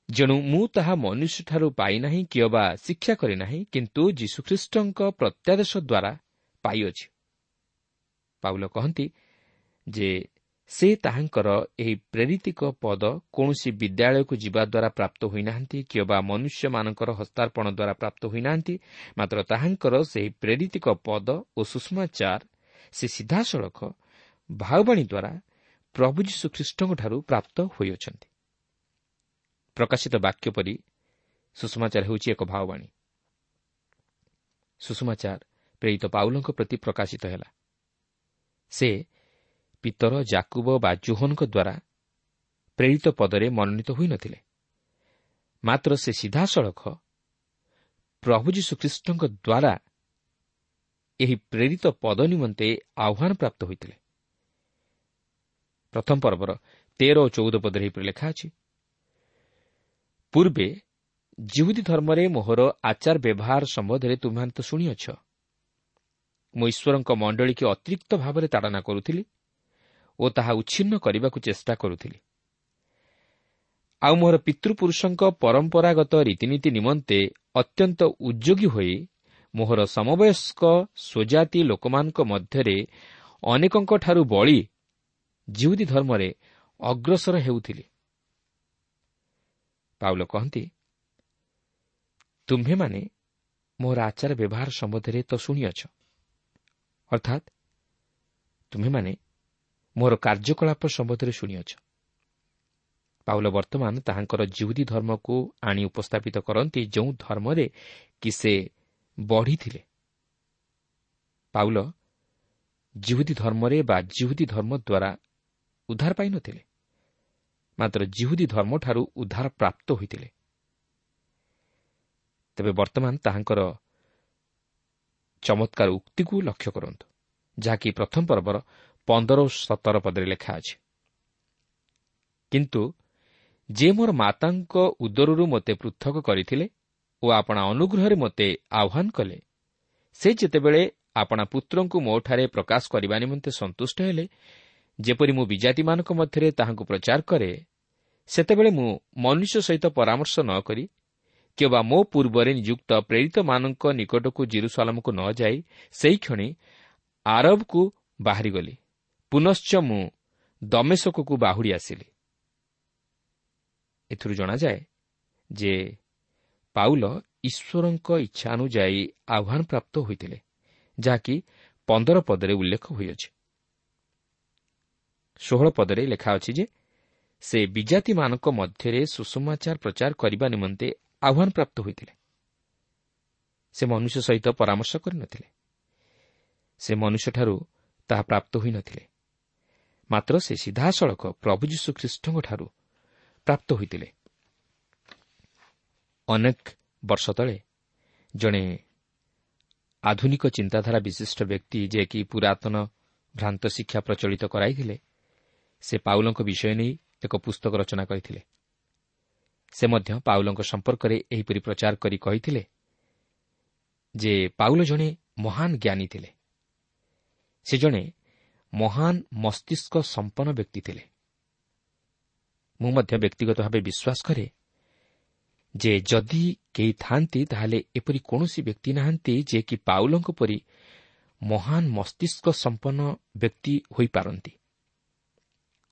ଯେଣୁ ମୁଁ ତାହା ମନୁଷ୍ୟଠାରୁ ପାଇନାହିଁ କିମ୍ବା ଶିକ୍ଷା କରିନାହିଁ, କିନ୍ତୁ ଯୀଶୁଖ୍ରୀଷ୍ଟଙ୍କ ପ୍ରତ୍ୟାଦେଶ ଦ୍ୱାରା ପାଇଅଛି। ପାଉଲ କହନ୍ତି ଯେ ସେ ତାହାଙ୍କର ଏହି ପ୍ରେରିତିକ ପଦ କୌଣସି ବିଦ୍ୟାଳୟକୁ ଯିବା ଦ୍ୱାରା ପ୍ରାପ୍ତ ହୋଇନାହାନ୍ତି କିମ୍ବା ମନୁଷ୍ୟମାନଙ୍କର ହସ୍ତାର୍ପଣ ଦ୍ୱାରା ପ୍ରାପ୍ତ ହୋଇନାହାନ୍ତି, ମାତ୍ର ତାହାଙ୍କର ସେହି ପ୍ରେରିତିକ ପଦ ଓ ସୁଷମାଚାର ସେ ସିଧାସଳଖ ଭାବବାଣୀ ଦ୍ୱାରା ପ୍ରଭୁ ଯୀଶୁଖ୍ରୀଷ୍ଟଙ୍କଠାରୁ ପ୍ରାପ୍ତ ହୋଇଅଛନ୍ତି। ପ୍ରକାଶିତ ବାକ୍ୟ ପରି ସୁଷମାଚାର ହେଉଛି ଏକ ଭାବବାଣୀ। ସୁଷମାଚାର ପ୍ରେରିତ ପାଉଲଙ୍କ ପ୍ରତି ପ୍ରକାଶିତ ହେଲା। ସେ ପିତର, ଜାକୁବ ବା ଜୋହନଙ୍କ ଦ୍ୱାରା ପ୍ରେରିତ ପଦରେ ମନୋନୀତ ହୋଇନଥିଲେ, ମାତ୍ର ସେ ସିଧାସଳଖ ପ୍ରଭୁ ଯୀଶୁଖ୍ରୀଷ୍ଟଙ୍କ ଦ୍ୱାରା ଏହି ପ୍ରେରିତ ପଦ ନିମନ୍ତେ ଆହ୍ୱାନ ପ୍ରାପ୍ତ ହୋଇଥିଲେ। ପ୍ରଥମ ପର୍ବର 13 ଓ 14 ପଦରେ ଏହିପରି ଲେଖା ଅଛି, ପୂର୍ବେ ଯିହୁଦୀ ଧର୍ମରେ ମୋହର ଆଚାର ବ୍ୟବହାର ସମ୍ବନ୍ଧରେ ତୁମ୍ଭେମାନେ ତ ଶୁଣିଅଛ। ମୁଁ ଈଶ୍ୱରଙ୍କ ମଣ୍ଡଳୀକି ଅତିରିକ୍ତ ଭାବରେ ତାଡ଼ନା କରୁଥିଲି ଓ ତାହା ଉଚ୍ଛିନ୍ନ କରିବାକୁ ଚେଷ୍ଟା କରୁଥିଲି। ଆଉ ମୋହର ପିତୃପୁରୁଷଙ୍କ ପରମ୍ପରାଗତ ରୀତିନୀତି ନିମନ୍ତେ ଅତ୍ୟନ୍ତ ଉଦ୍ଯୋଗୀ ହୋଇ ମୋହର ସମବୟସ୍କ ସ୍ୱଜାତି ଲୋକମାନଙ୍କ ମଧ୍ୟରେ ଅନେକଙ୍କଠାରୁ ବଳି ଯିହୁଦୀ ଧର୍ମରେ ଅଗ୍ରସର ହେଉଥିଲି। ପାଉଲ କହନ୍ତି, ତୁମ୍ଭେମାନେ ମୋର ଆଚାର ବ୍ୟବହାର ସମ୍ବନ୍ଧରେ ତ ଶୁଣିଅଛ, ଅର୍ଥାତ୍ ତୁମ୍ଭେମାନେ ମୋର କାର୍ଯ୍ୟକଳାପ ସମ୍ବନ୍ଧରେ ଶୁଣିଅଛ। ପାଉଲ ବର୍ତ୍ତମାନ ତାହାଙ୍କର ଯିହୁଦୀ ଧର୍ମକୁ ଆଣି ଉପସ୍ଥାପିତ କରନ୍ତି, ଯେଉଁ ଧର୍ମରେ କି ସେ ବଢ଼ିଥିଲେ। ପାଉଲ ଯିହୁଦୀ ଧର୍ମରେ ବା ଯିହୁଦୀ ଧର୍ମ ଦ୍ୱାରା ଉଦ୍ଧାର ପାଇନଥିଲେ, ମାତ୍ର ଯିହୁଦୀ ଧର୍ମଠାରୁ ଉଦ୍ଧାର ପ୍ରାପ୍ତ ହୋଇଥିଲେ। ତେବେ ବର୍ତ୍ତମାନ ତାହାଙ୍କର ଚମତ୍କାର ଉକ୍ତିକୁ ଲକ୍ଷ୍ୟ କରନ୍ତୁ, ଯାହାକି ପ୍ରଥମ ପର୍ବର 15 ଓ 17 ପଦରେ ଲେଖା ଅଛି, କିନ୍ତୁ ଯେ ମୋର ମାତାଙ୍କ ଉଦରରୁ ମୋତେ ପୃଥକ କରିଥିଲେ ଓ ଆପଣା ଅନୁଗ୍ରହରେ ମୋତେ ଆହ୍ୱାନ କଲେ, ସେ ଯେତେବେଳେ ଆପଣା ପୁତ୍ରଙ୍କୁ ମୋଠାରେ ପ୍ରକାଶ କରିବା ନିମନ୍ତେ ସନ୍ତୁଷ୍ଟ ହେଲେ, ଯେପରି ମୁଁ ବିଜାତିମାନଙ୍କ ମଧ୍ୟରେ ତାହାଙ୍କୁ ପ୍ରଚାର କରେ, ସେତେବେଳେ ମୁଁ ମନୁଷ୍ୟ ସହିତ ପରାମର୍ଶ ନ କରି କିମ୍ବା ମୋ ପୂର୍ବରେ ନିଯୁକ୍ତ ପ୍ରେରିତମାନଙ୍କ ନିକଟକୁ ଜିରୁସାଲମକୁ ନ ଯାଇ ସେହିକ୍ଷଣି ଆରବକୁ ବାହାରିଗଲି। ପୁନଶ୍ଚ ମୁଁ ଦମେଶକକୁ ବାହୁଡ଼ି ଆସିଲି। ଏଥିରୁ ଜଣାଯାଏ ଯେ ପାଉଲ ଈଶ୍ୱରଙ୍କ ଇଚ୍ଛା ଅନୁଯାୟୀ ଆହ୍ୱାନପ୍ରାପ୍ତ ହୋଇଥିଲେ, ଯାହାକି 15 ପଦରେ ଉଲ୍ଲେଖ ହୋଇଅଛି। 16 ପଦରେ ଲେଖା ଅଛି ଯେ ସେ ବିଜାତିମାନଙ୍କ ମଧ୍ୟରେ ସୁସମାଚାର ପ୍ରଚାର କରିବା ନିମନ୍ତେ ଆହ୍ୱାନପ୍ରାପ୍ତ ହୋଇଥିଲେ। ସେ ମନୁଷ୍ୟ ସହିତ ପରାମର୍ଶ କରିନଥିଲେ, ସେ ମନୁଷ୍ୟଠାରୁ ତାହା ପ୍ରାପ୍ତ ହୋଇନଥିଲେ, ମାତ୍ର ସେ ସିଧାସଳଖ ପ୍ରଭୁ ଯୀଶୁଖ୍ରୀଷ୍ଟଙ୍କଠାରୁ ପ୍ରାପ୍ତ ହୋଇଥିଲେ। ଅନେକ ବର୍ଷ ତଳେ ଜଣେ ଆଧୁନିକ ଚିନ୍ତାଧାରା ବିଶିଷ୍ଟ ବ୍ୟକ୍ତି, ଯିଏକି ପୁରାତନ ଭ୍ରାନ୍ତ ଶିକ୍ଷା ପ୍ରଚଳିତ କରାଇଥିଲେ, ସେ ପାଉଲଙ୍କ ବିଷୟ ନେଇ ଏକ ପୁସ୍ତକ ରଚନା କରିଥିଲେ। ସେ ମଧ୍ୟ ପାଉଲଙ୍କ ସମ୍ପର୍କରେ ଏହିପରି ପ୍ରଚାର କରି କହିଥିଲେ ଯେ ପାଉଲ ଜଣେ ମହାନ ଜ୍ଞାନୀ ଥିଲେ, ସେ ଜଣେ ମହାନ ମସ୍ତିଷ୍କ ସମ୍ପନ୍ନ ବ୍ୟକ୍ତି ଥିଲେ। ମୁଁ ମଧ୍ୟ ବ୍ୟକ୍ତିଗତ ଭାବେ ବିଶ୍ୱାସ କରେ ଯେ ଯଦି କେହି ଥାଆନ୍ତି ତାହେଲେ ଏପରି କୌଣସି ବ୍ୟକ୍ତି ନାହାନ୍ତି ଯିଏକି ପାଉଲଙ୍କ ପରି ମହାନ ମସ୍ତିଷ୍କ ସମ୍ପନ୍ନ ବ୍ୟକ୍ତି ହୋଇପାରନ୍ତି।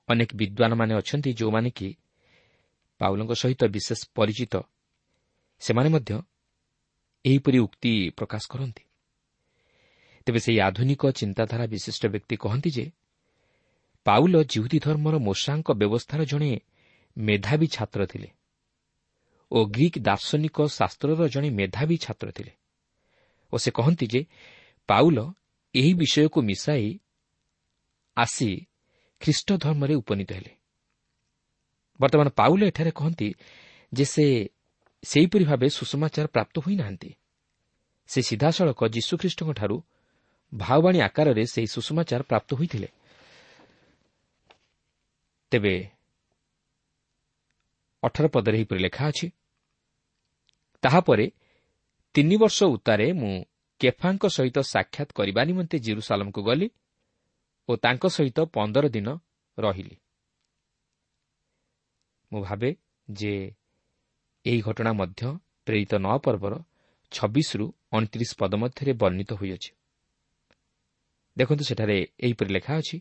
ଅନେକ ବିଦ୍ୱାନମାନେ ଅଛନ୍ତି ଯେଉଁମାନେ କି ପାଉଲଙ୍କ ସହିତ ବିଶେଷ ପରିଚିତ, ସେମାନେ ମଧ୍ୟ ଏହିପରି ଉକ୍ତି ପ୍ରକାଶ କରନ୍ତି। ତେବେ ସେହି ଆଧୁନିକ ଚିନ୍ତାଧାରା ବିଶିଷ୍ଟ ବ୍ୟକ୍ତି କହନ୍ତି ଯେ ପାଉଲ ଜିହୁଦୀ ଧର୍ମର ମୋଶାଙ୍କ ବ୍ୟବସ୍ଥାର ଜଣେ ମେଧାବୀ ଛାତ୍ର ଥିଲେ ଓ ଗ୍ରୀକ୍ ଦାର୍ଶନିକ ଶାସ୍ତ୍ରର ଜଣେ ମେଧାବୀ ଛାତ୍ର ଥିଲେ, ଓ ସେ କହନ୍ତି ଯେ ପାଉଲ ଏହି ବିଷୟକୁ ମିଶାଇ ଆସି ଖ୍ରୀଷ୍ଟ ଧର୍ମରେ ଉପନୀତ ହେଲେ। ବର୍ତ୍ତମାନ ପାଉଲ ଏଠାରେ କହନ୍ତି ଯେ ସେ ସେହିପରି ଭାବେ ସୁସମାଚାର ପ୍ରାପ୍ତ ହୋଇନାହାନ୍ତି। ସେ ସିଧାସଳଖ ଯୀଶୁଖ୍ରୀଷ୍ଟଙ୍କଠାରୁ ଭାବବାଣୀ ଆକାରରେ ସେହି ସୁସମାଚାର ପ୍ରାପ୍ତ ହୋଇଥିଲେ। ତେବେ 18 ପଦରେ ଏହିପରି ଲେଖା ଅଛି, ତାହାପରେ 3 ବର୍ଷ ଉତ୍ତାରେ ମୁଁ କେଫାଙ୍କ ସହିତ ସାକ୍ଷାତ କରିବା ନିମନ୍ତେ ଜେରୁସାଲମକୁ ଗଲି ଓ ତାଙ୍କ ସହିତ 15 ଦିନ ରହିଲି। ମୁଁ ଭାବେ ଯେ ଏହି ଘଟଣା ମଧ୍ୟ ପ୍ରେରିତ 9 ପର୍ବର 26ରୁ 29 ପଦ ମଧ୍ୟରେ ବର୍ଣ୍ଣିତ ହୋଇଅଛି। ଦେଖନ୍ତୁ ସେଠାରେ ଏହିପରି ଲେଖା ଅଛି,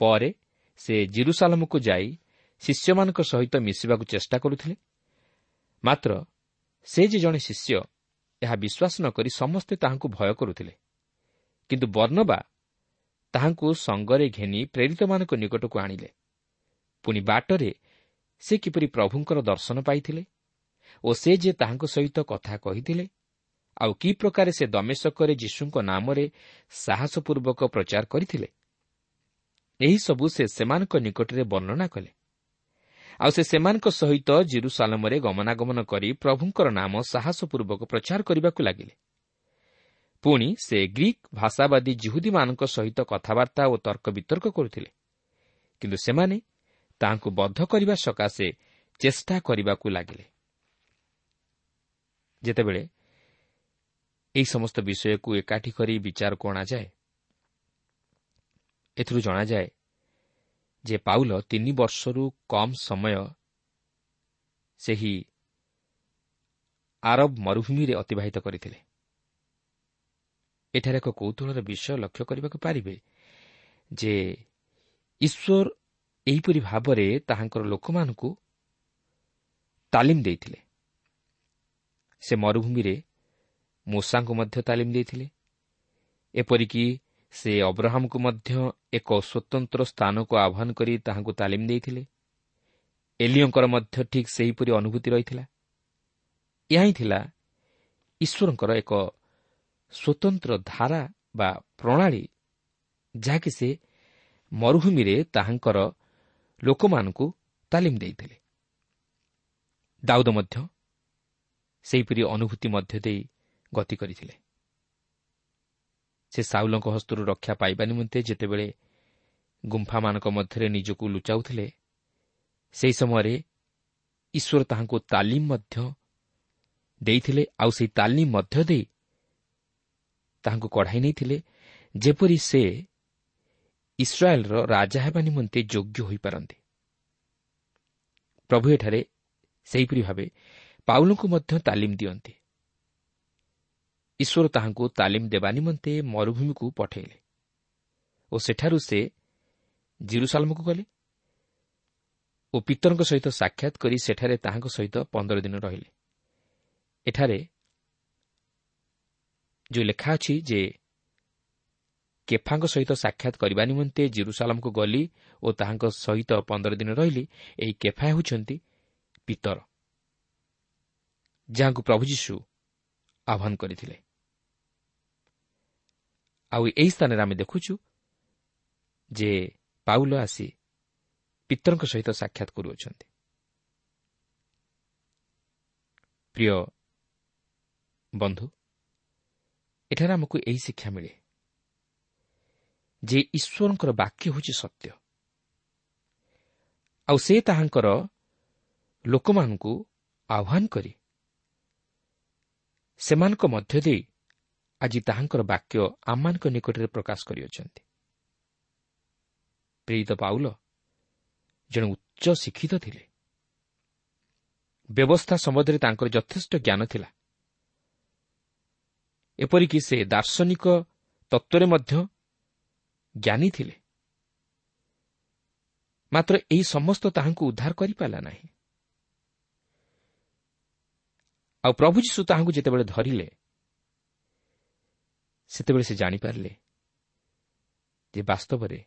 ପରେ ସେ ଜେରୁସାଲମକୁ ଯାଇ ଶିଷ୍ୟମାନଙ୍କ ସହିତ ମିଶିବାକୁ ଚେଷ୍ଟା କରୁଥିଲେ, ମାତ୍ର ସେ ଯେ ଜଣେ ଶିଷ୍ୟ ଏହା ବିଶ୍ୱାସ ନ କରି ସମସ୍ତେ ତାହାଙ୍କୁ ଭୟ କରୁଥିଲେ। କିନ୍ତୁ ବର୍ଣ୍ଣବା ତାହାଙ୍କୁ ସଙ୍ଗରେ ଘେନି ପ୍ରେରିତମାନଙ୍କ ନିକଟକୁ ଆଣିଲେ। ପୁଣି ବାଟରେ ସେ କିପରି ପ୍ରଭୁଙ୍କର ଦର୍ଶନ ପାଇଥିଲେ ଓ ସେ ଯେ ତାହାଙ୍କ ସହିତ କଥା କହିଥିଲେ, ଆଉ କି ପ୍ରକାରେ ସେ ଦମେଶକରେ ଯୀଶୁଙ୍କ ନାମରେ ସାହସପୂର୍ବକ ପ୍ରଚାର କରିଥିଲେ, ଏହିସବୁ ସେ ସେମାନଙ୍କ ନିକଟରେ ବର୍ଣ୍ଣନା କଲେ। ଆଉ ସେ ସେମାନଙ୍କ ସହିତ ଜେରୁସାଲମରେ ଗମନାଗମନ କରି ପ୍ରଭୁଙ୍କର ନାମ ସାହସପୂର୍ବକ ପ୍ରଚାର କରିବାକୁ ଲାଗିଲେ। ପୁଣି ସେ ଗ୍ରୀକ୍ ଭାଷାବାଦୀ ଜିହୁଦୀମାନଙ୍କ ସହିତ କଥାବାର୍ତ୍ତା ଓ ତର୍କ ବିତର୍କ କରୁଥିଲେ, କିନ୍ତୁ ସେମାନେ ତାହାଙ୍କୁ ବଦ୍ଧ କରିବା ସକାଶେ ଚେଷ୍ଟା କରିବାକୁ ଲାଗିଲେ। ଯେତେବେଳେ ଏହି ସମସ୍ତ ବିଷୟକୁ ଏକାଠି କରି ବିଚାରକୁ ଅଣାଯାଏ, ଏଥିରୁ ଜଣାଯାଏ ଯେ ପାଉଲ 3 ବର୍ଷରୁ କମ୍ ସମୟ ସେହି ଆରବ ମରୁଭୂମିରେ ଅତିବାହିତ କରିଥିଲେ। ଏଠାରେ ଏକ କୌତୂହଳର ବିଷୟ ଲକ୍ଷ୍ୟ କରିବାକୁ ପାରିବେ ଯେ ଈଶ୍ୱର ଏହିପରି ଭାବରେ ତାହାଙ୍କର ଲୋକମାନଙ୍କୁ ତାଲିମ ଦେଇଥିଲେ। ସେ ମରୁଭୂମିରେ ମୋଶାଙ୍କୁ ମଧ୍ୟ ତାଲିମ ଦେଇଥିଲେ, ଏପରିକି ସେ ଅବ୍ରାହମକୁ ମଧ୍ୟ ଏକ ସ୍ୱତନ୍ତ୍ର ସ୍ଥାନକୁ ଆହ୍ୱାନ କରି ତାହାଙ୍କୁ ତାଲିମ ଦେଇଥିଲେ। ଏଲିୟଙ୍କର ମଧ୍ୟ ଠିକ୍ ସେହିପରି ଅନୁଭୂତି ରହିଥିଲା। ଏହା ହିଁ ଥିଲା ଈଶ୍ୱରଙ୍କର ଏକ ସ୍ୱତନ୍ତ୍ର ଧାରା ବା ପ୍ରଣାଳୀ, ଯାହାକି ସେ ମରୁଭୂମିରେ ତାହାଙ୍କର ଲୋକମାନଙ୍କୁ ତାଲିମ ଦେଇଥିଲେ। ଦାଉଦ ମଧ୍ୟ ସେହିପରି ଅନୁଭୂତି ମଧ୍ୟ ଦେଇ ଗତି କରିଥିଲେ। ସେ ସାଉଲଙ୍କ ହସ୍ତରୁ ରକ୍ଷା ପାଇବା ନିମନ୍ତେ ଯେତେବେଳେ ଗୁମ୍ଫାମାନଙ୍କ ମଧ୍ୟରେ ନିଜକୁ ଲୁଚାଉଥିଲେ, ସେହି ସମୟରେ ଈଶ୍ୱର ତାହାଙ୍କୁ ତାଲିମ ମଧ୍ୟ ଦେଇଥିଲେ, ଆଉ ସେହି ତାଲିମ ମଧ୍ୟ ଦେଇ ତାହାଙ୍କୁ କଢ଼ାଇ ନେଇଥିଲେ, ଯେପରି ସେ ଇସ୍ରାଏଲର ରାଜା ହେବା ନିମନ୍ତେ ଯୋଗ୍ୟ ହୋଇପାରନ୍ତି। ପ୍ରଭୁ ଏଠାରେ ସେହିପରି ଭାବେ ପାଉଲଙ୍କୁ ମଧ୍ୟ ତାଲିମ ଦିଅନ୍ତି। ଈଶ୍ୱର ତାହାଙ୍କୁ ତାଲିମ ଦେବା ନିମନ୍ତେ ମରୁଭୂମିକୁ ପଠାଇଲେ ଓ ସେଠାରୁ ସେ ଜେରୁସାଲମକୁ ଗଲେ ଓ ପିତରଙ୍କ ସହିତ ସାକ୍ଷାତ କରି ସେଠାରେ ତାହାଙ୍କ ସହିତ 15 ଦିନ ରହିଲେ। ଏଠାରେ ଯେଉଁ ଲେଖା ଅଛି ଯେ କେଫାଙ୍କ ସହିତ ସାକ୍ଷାତ କରିବା ନିମନ୍ତେ ଜେରୁସାଲମକୁ ଗଲି ଓ ତାହାଙ୍କ ସହିତ 15 ଦିନ ରହିଲି, ଏହି କେଫା ହେଉଛନ୍ତି ପିତର, ଯାହାଙ୍କୁ ପ୍ରଭୁ ଯୀଶୁ ଆହ୍ୱାନ କରିଥିଲେ। ଆଉ ଏହି ସ୍ଥାନରେ ଆମେ ଦେଖୁଛୁ ଯେ ପାଉଲ ଆସି ପିତରଙ୍କ ସହିତ ସାକ୍ଷାତ କରୁଅଛନ୍ତି। ପ୍ରିୟ ବନ୍ଧୁ, ଏଠାରେ ଆମକୁ ଏହି ଶିକ୍ଷା ମିଳେ ଯେ ଈଶ୍ୱରଙ୍କର ବାକ୍ୟ ହେଉଛି ସତ୍ୟ, ଆଉ ସେ ତାହାଙ୍କର ଲୋକମାନଙ୍କୁ ଆହ୍ୱାନ କରି ସେମାନଙ୍କ ମଧ୍ୟ ଦେଇ ଆଜି ତାହାଙ୍କର ବାକ୍ୟ ଆମମାନଙ୍କ ନିକଟରେ ପ୍ରକାଶ କରିଅଛନ୍ତି। ପ୍ରେରିତ ପାଉଲ ଜଣେ ଉଚ୍ଚ ଶିକ୍ଷିତ ଥିଲେ। ବ୍ୟବସ୍ଥା ସମ୍ବନ୍ଧରେ ତାଙ୍କର ଯଥେଷ୍ଟ ଜ୍ଞାନ ଥିଲା। ଏପରିକି ସେ ଦାର୍ଶନିକ ତତ୍ତ୍ୱରେ ମଧ୍ୟ ଜ୍ଞାନୀ ଥିଲେ। ମାତ୍ର ଏହି ସମସ୍ତ ତାହାଙ୍କୁ ଉଦ୍ଧାର କରିପାରିଲା ନାହିଁ। ଆଉ ପ୍ରଭୁ ଯୀଶୁ ତାହାଙ୍କୁ ଯେତେବେଳେ ଧରିଲେ, ସେତେବେଳେ ସେ ଜାଣିପାରିଲେ ଯେ ବାସ୍ତବରେ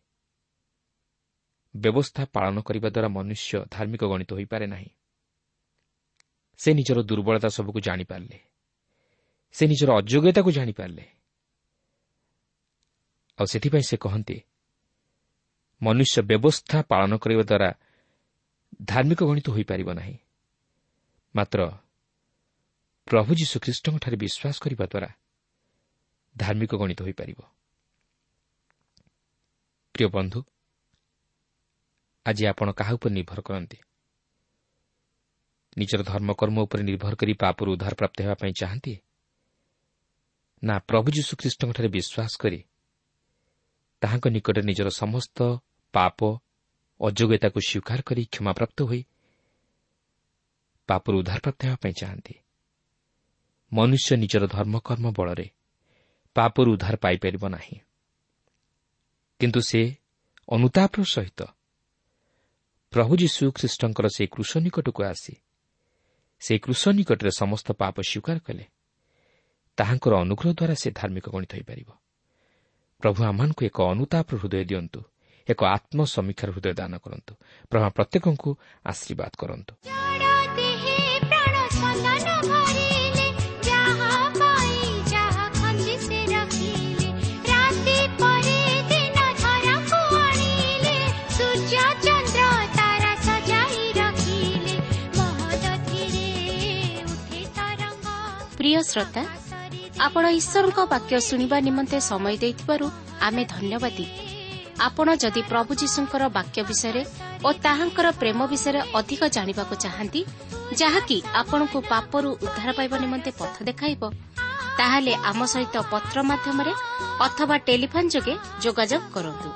ବ୍ୟବସ୍ଥା ପାଳନ କରିବା ଦ୍ୱାରା ମନୁଷ୍ୟ ଧାର୍ମିକ ଗଣିତ ହୋଇପାରେ ନାହିଁ। ସେ ନିଜର ଦୁର୍ବଳତା ସବୁକୁ ଜାଣିପାରିଲେ, ସେ ନିଜର ଅଯୋଗ୍ୟତାକୁ ଜାଣିପାରିଲେ। ଆଉ ସେଥିପାଇଁ ସେ କହନ୍ତି, ମନୁଷ୍ୟ ବ୍ୟବସ୍ଥା ପାଳନ କରିବା ଦ୍ୱାରା ଧାର୍ମିକ ଗଣିତ ହୋଇପାରିବ ନାହିଁ, ମାତ୍ର ପ୍ରଭୁ ଯୀଶୁଖ୍ରୀଷ୍ଟଙ୍କଠାରେ ବିଶ୍ୱାସ କରିବା ଦ୍ୱାରା ଧାର୍ମିକ ଗଣିତ ହୋଇପାରିବ। ପ୍ରିୟ ବନ୍ଧୁ, ଆଜି ଆପଣ କାହା ଉପରେ ନିର୍ଭର କରନ୍ତି? ନିଜର ଧର୍ମକର୍ମ ଉପରେ ନିର୍ଭର କରି ପାପରୁ ଉଦ୍ଧାର ପ୍ରାପ୍ତ ହେବା ପାଇଁ ଚାହାନ୍ତି, ନା ପ୍ରଭୁ ଯୀଶୁଖ୍ରୀଷ୍ଟଙ୍କଠାରେ ବିଶ୍ୱାସ କରି ତାହାଙ୍କ ନିକଟରେ ନିଜର ସମସ୍ତ ପାପ ଅଯୋଗ୍ୟତାକୁ ସ୍ୱୀକାର କରି କ୍ଷମାପ୍ରାପ୍ତ ହୋଇ ପାପରୁ ଉଦ୍ଧାରପ୍ରାପ୍ତ ହେବା ପାଇଁ ଚାହାନ୍ତି? ମନୁଷ୍ୟ ନିଜର ଧର୍ମକର୍ମ ବଳରେ ପାପରୁ ଉଦ୍ଧାର ପାଇପାରିବ ନାହିଁ, କିନ୍ତୁ ସେ ଅନୁତାପର ସହିତ ପ୍ରଭୁ ଯୀଶୁ ଖ୍ରୀଷ୍ଟଙ୍କର ସେହି କୃଷ ନିକଟକୁ ଆସି ସେହି କୃଷ ନିକଟରେ ସମସ୍ତ ପାପ ସ୍ୱୀକାର କଲେ ତାହାଙ୍କର ଅନୁଗ୍ରହ ଦ୍ୱାରା ସେ ଧାର୍ମିକ ଗଣିତ ହୋଇପାରିବ। ପ୍ରଭୁ ଆମମାନଙ୍କୁ ଏକ ଅନୁତାପର ହୃଦୟ ଦିଅନ୍ତୁ, ଏକ ଆତ୍ମସମୀକ୍ଷାର ହୃଦୟ ଦାନ କରନ୍ତୁ। ପ୍ରଭୁ ପ୍ରତ୍ୟେକଙ୍କୁ ଆଶୀର୍ବାଦ କରନ୍ତୁ। ପ୍ରିୟ ଶ୍ରୋତା, ଆପଣ ଈଶ୍ୱରଙ୍କ ବାକ୍ୟ ଶୁଣିବା ନିମନ୍ତେ ସମୟ ଦେଇଥିବାରୁ ଆମେ ଧନ୍ୟବାଦୀ। ଆପଣ ଯଦି ପ୍ରଭୁ ଯୀଶୁଙ୍କର ବାକ୍ୟ ବିଷୟରେ ଓ ତାହାଙ୍କର ପ୍ରେମ ବିଷୟରେ ଅଧିକ ଜାଣିବାକୁ ଚାହାନ୍ତି, ଯାହାକି ଆପଣଙ୍କୁ ପାପରୁ ଉଦ୍ଧାର ପାଇବା ନିମନ୍ତେ ପଥ ଦେଖାଇବ, ତାହେଲେ ଆମ ସହିତ ପତ୍ର ମାଧ୍ୟମରେ ଅଥବା ଟେଲିଫୋନ୍ ଯୋଗେ ଯୋଗାଯୋଗ କରନ୍ତୁ।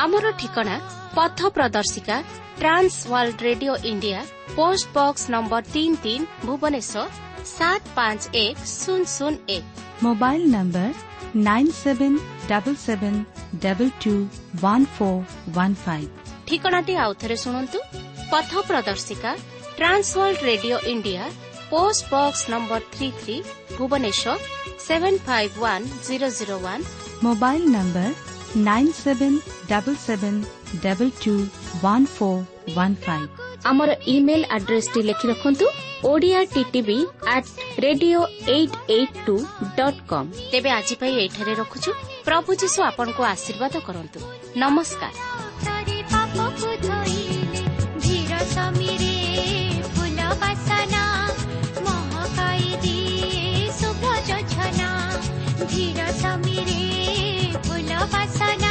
ଆମର ଠିକଣା ପଥ ପ୍ରଦର୍ଶିକା, Trans World Radio India, post box number 33, Bhubaneswar 751001। Mobile number 9777221415। ଠିକଣାଟି ଆଉଥରେ ଶୁଣନ୍ତୁ। ପଥ ପ୍ରଦର୍ଶିକା, Trans World Radio India, post box number 33, Bhubaneswar 751001। Mobile number 9777221415। ଆମର ଇମେଲ୍ ଆଡ୍ରେସଟି ଲେଖି ରଖନ୍ତୁ, Odia TTV at radio 882.com। ତେବେ ଆଜି ପାଇଁ ଏଇଠାରେ ରଖୁଛୁ। ପ୍ରଭୁ ଯୀଶୁ ଆପଣଙ୍କୁ ଆଶୀର୍ବାଦ କରନ୍ତୁ। ନମସ୍କାର। ଧୀର ସମୀରେ ଫୁଲ ବାସନା।